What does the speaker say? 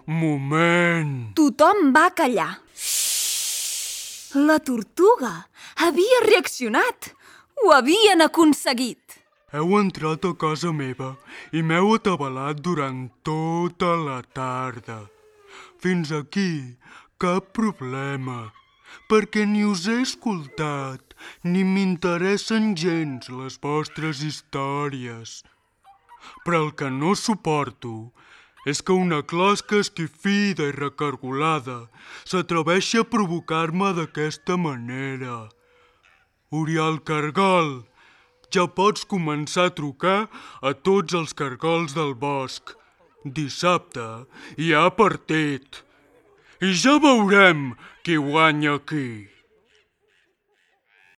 Moment! Tothom va callar. La tortuga havia reaccionat. Ho havien aconseguit. Heu entrat a casa meva i m'heu atabalat durant tota la tarda. Fins aquí, cap problema, perquè ni us he escoltat ni m'interessen gens les vostres històries. Però el que no suporto és que una closca esquifida i recargolada s'atreveixi a provocar-me d'aquesta manera. Oriol Cargol, ja pots començar a trucar a tots els cargols del bosc. Dissabte hi ha partit. I ja veurem qui guanya aquí.